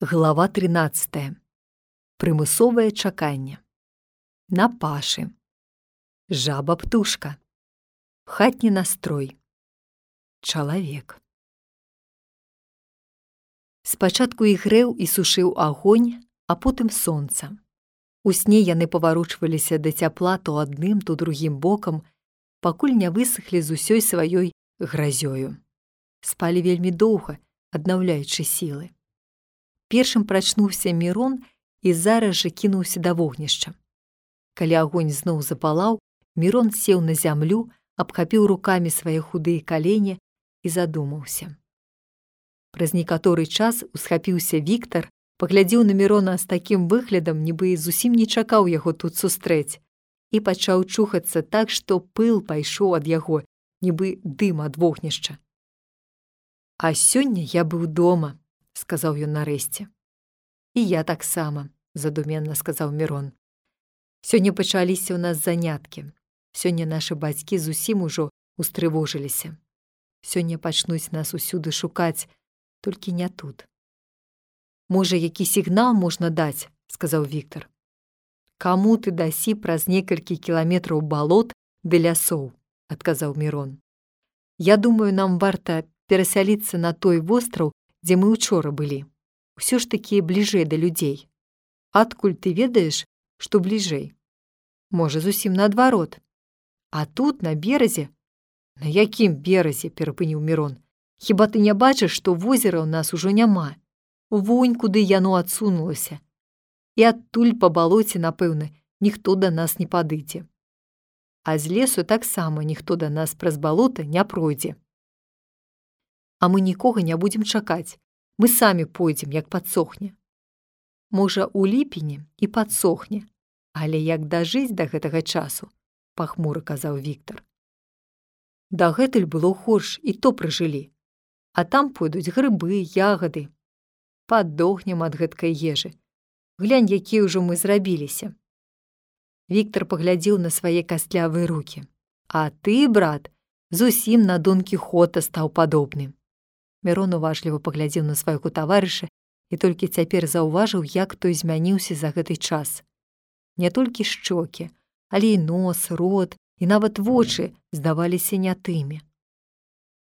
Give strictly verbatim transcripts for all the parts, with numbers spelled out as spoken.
Глава тринадцатая. Прымусовае чаканне. На пашы. Жаба-птушка. Хатні настрой. Чалавек. Спачатку ігрэў і сушыў агонь, а потым сонца. У сне яны паварочваліся да цяпла то адным, то другім бокам, пакуль не высахлі з усёй сваёй гразёю. Спалі вельмі доўга, аднаўляючы сілы. Першым прачнуўся Мірон і зараз жа кінуўся да вогнішча. Калі агонь зноў запалаў, Мірон сеў на зямлю, абхапіў рукамі свае худыя калені і задумаўся. Праз некаторы час усхапіўся Віктар, паглядзеў на Мірона з такім выглядам, нібы зусім не чакаў яго тут сустрэць, і пачаў чухацца так, што пыл пайшоў ад яго, нібы дым ад вогнішча. «А сёння я быў дома», — сказаў ён нарэшце. «І я таксама», — задуменна сказаў Мірон. «Сёння пачаліся ў нас заняткі. Сёння нашы бацькі зусім ужо устрывожыліся. Сёння пачнуць нас усюды шукаць, толькі не тут». «Можа, які сігнал можна даць?» — сказаў Віктар. «Каму ты дасі праз некалькі кіламетраў балот ды лясоў?» — адказаў Мірон. «Я думаю, нам варта перасяліцца на той востраў, дзе мы учора былі. Усё ж такі бліжэй да людзей. Адкуль ты ведаеш, што бліжэй? Можа, зусім наадварот. А тут, на беразе...» «На якім беразе?» — перапыніў Мірон. «Хіба ты не бачыш, што возера ў нас ужо няма? Вунь, куды яно адсунулася. І адтуль па балоце, напэўна, ніхто да нас не падыдзе. А з лесу таксама ніхто да нас праз балота не пройдзе. А мы нікога не будзем чакаць. Мы самі пойдзем, як падсохне. Можа, у ліпені і падсохне, але як дажыць да гэтага часу?» — пахмура казаў Віктар. «Дагэтуль было горш, і то пражылі. А там пойдуць грыбы, ягады. Падохнем ад гэткай ежы. Глянь, якія ўжо мы зрабіліся». Віктар паглядзеў на свае кастлявыя рукі. «А ты, брат, зусім на Дон Кіхота стаў падобны». Мірон уважліва паглядзеў на свайго таварыша і толькі цяпер заўважыў, як той змяніўся за гэты час. Не толькі шчокі, але і нос, рот і нават вочы здаваліся не тымі.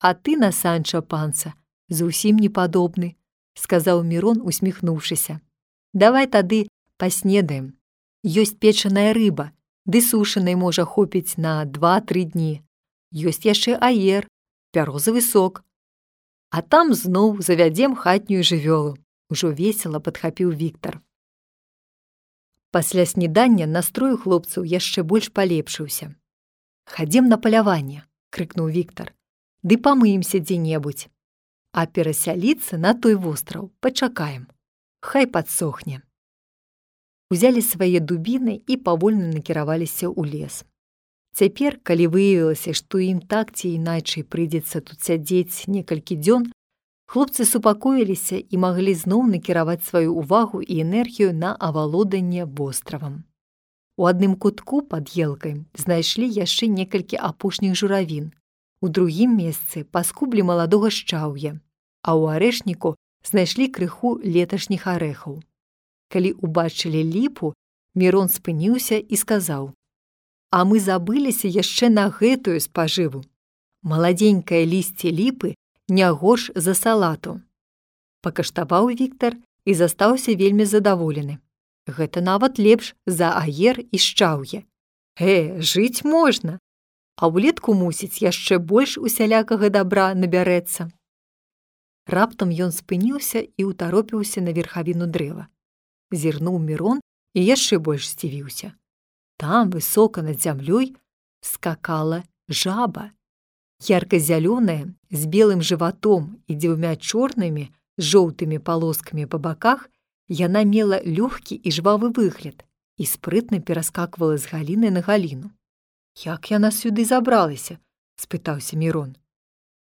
«А ты на Санча Панса зусім не падобны», — сказаў Мірон, усміхнуўшыся. «Давай тады паснедаем. Ёсць печаная рыба, ды сушанай можа хопіць на два-тры дні. Ёсць яшчэ аер, бярозавы сок. А там зноў завядзем хатнюю жывёлу», — ужо весела падхапіў Віктар. Пасля снедання настрой у хлопцаў яшчэ больш палепшыўся. «Хадзем на паляванне», — крыкнуў Віктар. «Ды памыемся дзе-небудзь. А перасяліцца на той востраў пачакаем. Хай падсохне». Узялі свае дубіны і павольна накіраваліся ў лес. Цяпер, калі выявілася, што ім так ці іначай прыйдзецца тут сядзець некалькі дзён, хлопцы супакоіліся і маглі зноў накіраваць сваю ўвагу і энергію на авалоданне востравам. У адным кутку пад елкай знайшлі яшчэ некалькі апошніх журавін, у другім месцы паскублі маладога шчаўя, а ў арэшніку знайшлі крыху леташніх арэхаў. Калі ўбачылі ліпу, Мірон спыніўся і сказаў: «А мы забыліся яшчэ на гэтую спажыву. Маладзенькае лісце ліпы не горш за салату». Пакаштаваў Віктар і застаўся вельмі задаволены. «Гэта нават лепш за аер і шчаўе. Э, жыць можна. А ўлетку, мусіць, яшчэ больш усялякага дабра набярэцца». Раптам ён спыніўся і ўтаропіўся на верхавіну дрэва. Зірнуў Мірон і яшчэ больш здзівіўся. Там, высока над зямлёй, скакала жаба. Ярка-зялёная, з белым жыватом і дзвюмя чорнымі з жоўтымі палоскамі па баках, яна мела лёгкі і жвавы выгляд і спрытна пераскаквала з галіны на галіну. «Як яна сюды забралася?» — спытаўся Мірон.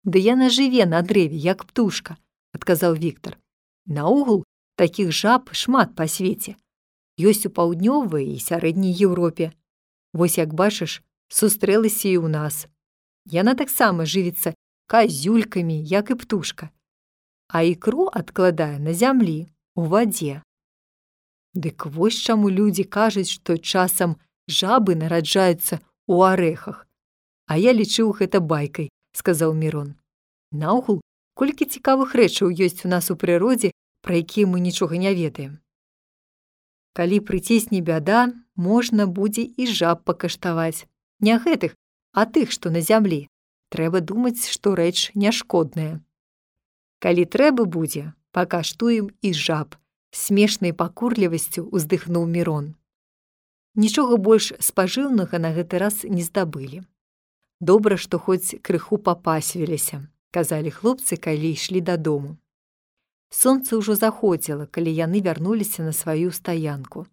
«Ды яна жыве на дрэве, як птушка», — адказаў Віктар. «Наогул, такіх жаб шмат па свеце. Ёсць у паўднёвай і сярэдняй Еўропе. Вось, як бачыш, сустрэлася і ў нас. Яна таксама жывіцца казюлькамі, як і птушка. А ікру адкладае на зямлі, у вадзе. Дык вось чаму людзі кажуць, што часам жабы нараджаюцца ў арэхах. А я лічыў гэта байкай, сказаў Мірон. Наогул, колькі цікавых рэчаў ёсць у нас у прыродзе, пра якія мы нічога не ведаем. Калі прыцісне бяда, можна будзе і жаб пакаштаваць. Не гэтых, а тых, што на зямлі. Трэба думаць, што рэч няшкодная. Калі трэба будзе, пакаштуем і жаб, смешнай пакурлівасцю ўздыхнуў Мірон. Нічога больш спажыўнага на гэты раз не здабылі. Добра, што хоць крыху папасвіліся, казалі хлопцы, калі ішлі дадому. Сонца ўжо заходзіла, калі яны вярнуліся на сваю стаянку.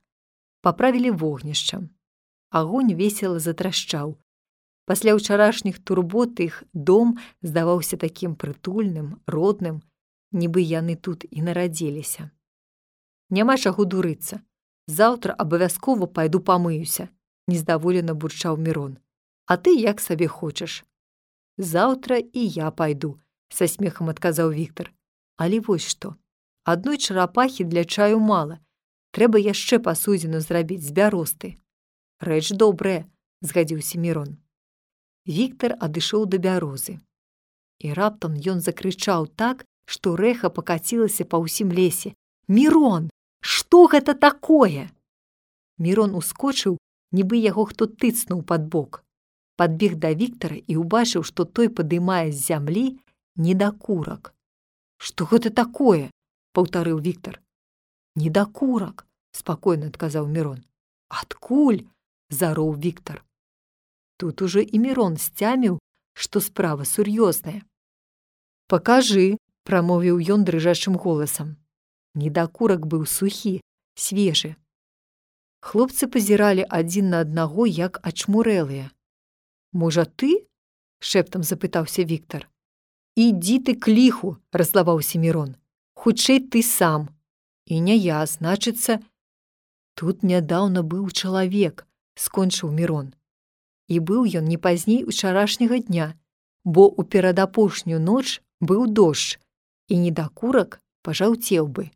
Паправілі вогнішча. Агонь весела затрашчаў. Пасля ўчарашніх турбот іх дом здаваўся такім прытульным, родным, нібы яны тут і нарадзіліся. Няма чаго дурыцца. Заўтра абавязкова пайду памыюся, нездаволена бурчаў Мірон. А ты як сабе хочаш. Заўтра і я пайду, са смехам адказаў Віктар. Але вось што. Адной чарапахі для чаю мала. Трэба яшчэ пасудзіну зрабіць з бяросты. Рэч добрая, згадзіўся Мірон. Віктар адышоў да бярозы. І раптам ён закрычаў так, што рэха пакацілася па ўсім лесе. Мірон! Што гэта такое? Мірон ускочыў, нібы яго хто тыцнуў пад бок. Падбег да Віктара і ўбачыў, што той падымае з зямлі недакурак. Што гэта такое? Паўтарыў Віктар. Недакурак, спакойна адказаў Мірон. Адкуль? Зароў Віктар. Тут ужо і Мірон сцяміў, што справа сур'ёзная. Пакажы, прамовіў ён дрыжачым голасам. Недакурак быў сухі, свежы. Хлопцы пазіралі адзін на аднаго, як ачмурэлыя. Можа, ты? Шэптам запытаўся Віктар. Ідзі ты к ліху, раззлаваўся Мірон. Хутчэй ты сам. І не я, значыцца. Тут нядаўна быў чалавек, скончыў Мірон. І быў ён не пазней учарашняга дня, бо ў перадапошнюю ноч быў дождж, і недакурак пажаўцеў бы.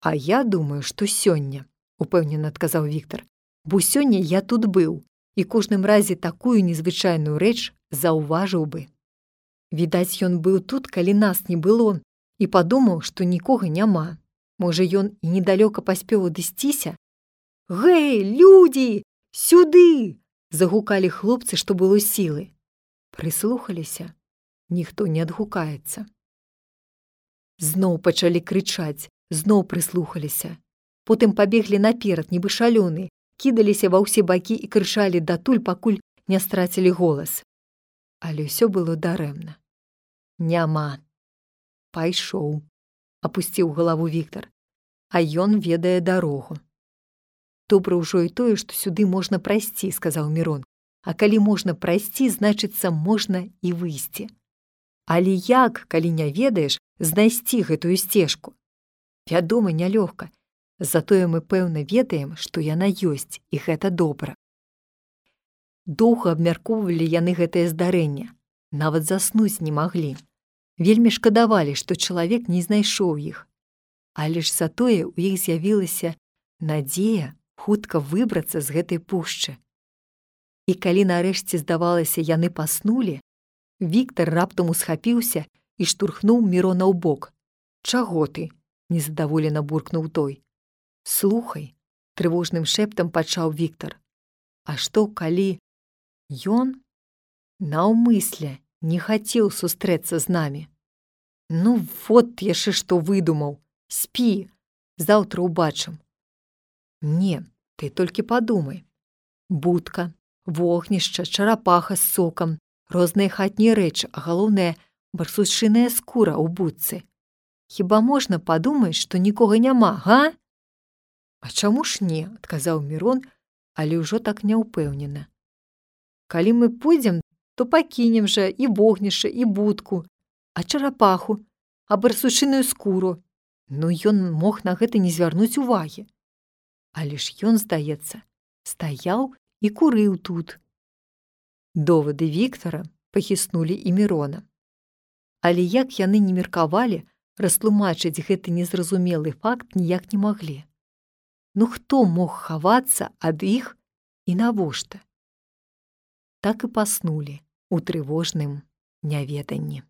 А я думаю, што сёння, упэўнена адказаў Віктар, бо сёння я тут быў, і кожным разе такую незвычайную рэч заўважыў бы. Відаць, ён быў тут, калі нас не было, і падумаў, што нікога няма. Можа, ён і недалёка паспеў адысціся? Гэй, людзі, сюды! Загукалі хлопцы, што было сілы. Прыслухаліся. Ніхто не адгукаецца. Зноў пачалі крычаць, зноў прыслухаліся. Потым пабеглі наперад, нібы шалёныя, кідаліся ва ўсе бакі і крычалі датуль, пакуль не страцілі голас. Але ўсё было дарэмна. Няма. Пайшоў, апусціў галаву Віктар. А ён ведае дарогу. Добра ўжо і тое, што сюды можна прайсці, сказаў Мірон. А калі можна прайсці, значыцца, можна і выйсці. Але як, калі не ведаеш, знайсці гэтую сцежку? Вядома, нялёгка. Затое мы пэўна ведаем, што яна ёсць, і гэта добра. Доўга абмяркоўвалі яны гэтае здарэнне. Нават заснуць не маглі. Вельмі шкадавалі, што чалавек не знайшоў іх. Але ж затое ў іх з'явілася надзея хутка выбрацца з гэтай пушчы. І калі нарэшце, здавалася, яны паснулі, Віктар раптам усхапіўся і штурхнуў Мірона ў бок. Чаго ты? Незадаволена буркнуў той. Слухай, трывожным шэптам пачаў Віктар. А што, калі ён наўмысля не хацеў сустрэцца з намі? Ну, вот яшчэ што выдумаў. Спі, заўтра ўбачым. Не, ты толькі падумай. Будка, вогнішча, чарапаха з сокам, розныя хатнія рэчы, а галоўнае барсучыная скура ў будцы. Хіба можна падумаць, што нікога няма, га? А чаму ж не, адказаў Мірон, але ўжо так няўпэўнена. Калі мы пойдзем, то пакінем жа і вогнішча, і будку, а чарапаху, а барсучыную скуру. Ну, ён мог на гэта не звярнуць увагі. Але ж ён, здаецца, стаяў і курыў тут. Довады Віктара пахіснулі і Мірона. Але як яны не меркавалі, растлумачыць гэты незразумелы факт ніяк не маглі. Ну хто мог хавацца ад іх і навошта? Так і паснулі ў трывожным няведанні.